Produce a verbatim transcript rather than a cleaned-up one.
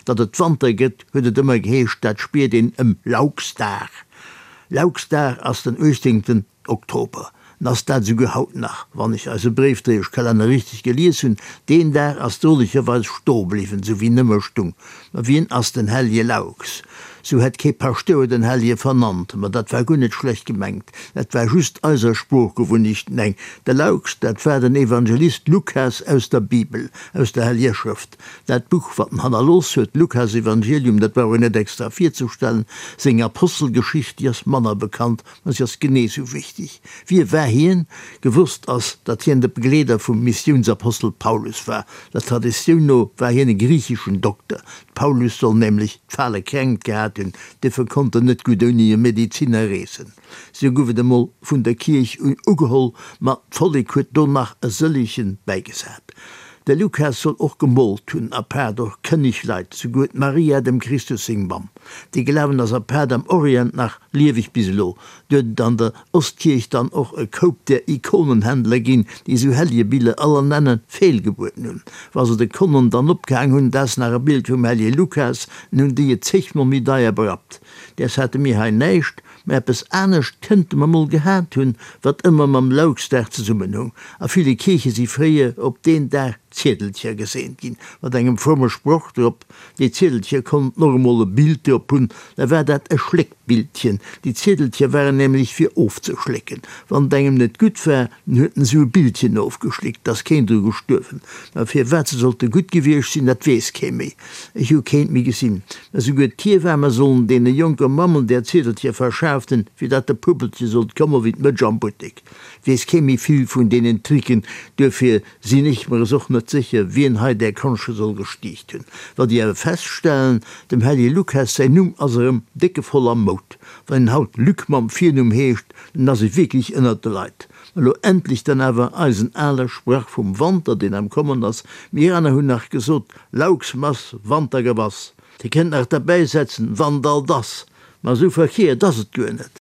Datt et Wanter gëtt, huet et ëmmer geheescht, dat spiert een ëm Lauxdag. Lauxdag ass den uechtzéngten Oktober. N ass dat esouguer haut nach, wann ech eise Bréifdréieschkalenner richteg gelies hunn. Deen Dag ass drolecherweis stoe bliwwen, sou wéi en ëmmer stung. Ma wien ass den Hellje Laux? Sou hätt kee Paschtouer den Hellje vernannt. Ma dat war guer net schlecht gemengt, dat war just eiser Sproochgewunnechten eng. De Laux, dat war den Evangelist Lukas aus der Bibel, aus der Helljer Schrëft. Dat Buch, wat en hannerlooss huet, d'Lukasevangelium, dat brauch een net extra virzestellen. Seng Apostelgeschicht, déi ass manner bekannt, ma si ass genee sou wichteg. Wie war hien? Gewosst ass, datt hien de Begleeder vum Missiounsapostel Paulus war. Der Traditioun no war hien e griicheschen Dokter. De Paulus soll nämlech d'fale Kränkt gehat hunn, duerfir konnt en net gutt ouni e Medeziner reesen. Sou gouf et emol vun der Kierch un ugeholl, ma d'Vollek huet do nach e sëllechen bäigesat. De Lukas soll och gemoolt hunn, apaart och kënneg Leit, souguer d'Maria, dem Christus seng Mamm. Dee Glawen ass apaart am Orient nach lieweg bis elo. Do huet et an der Ostkierch dann och e Koup där Ikonenhändler ginn, déi esou Helligebiller aller Nenne feelgebueden hunn. Wa se de Konnen dann opgehaang hunn, 't ass nach e Bild vum Hellige Lukas, en hunn déi et zegmol méi deier berappt. Däers hate mir hei näischt, mä eppes anescht kënnte mer mol gehat hunn, wat ëmmer mam Louxdag zesummenhung. A ville Kierche si fréier op deen Dag Ziedelcher geseent ginn, mat engem fromme Sproch drop. Déi Ziedelcher konnten och emol e Bild drop hunn, da war dat e Schléckbildchen. Déi Ziedelcher waren nämlech fir ofzeschlécken. Wann et engem net gutt war, dann huet en esou e Bildchen ofgeschléckt, 't ass keen dru gestuerwen. Mä firwat se sollte gutt gewiescht sinn, dat weess kee méi. Ech hu keent méi gesinn. Mä souguer d'Hiewamme sollen deene jonke Mammen där Ziedelcher verschaaft hunn, fir dat de Puppelche sollt komme wéi d'Mëtsch am Buttek. Weess kee méi vill vun deenen Tricken, duerfir sinn ech mer es och net sécher, wien hei där Konsche soll gestiicht hunn. Wat ech awer feststellen, Dem Hellige Lukas säin Numm ass erëm déckevoll am Moud. Wann een haut Luc mam Virnumm heescht, dann ass ee wierklech ënnert de Leit. Ma lo endlech dann awer eisen ale Sprach vum Wanter, deen am Kommen ass. Mir aner hunn nach gesot, Lauxmass, Wantergebass. Dir kënnt nach derbäisetzen, Wann all dass. Ma esou verkeert ass et guer net.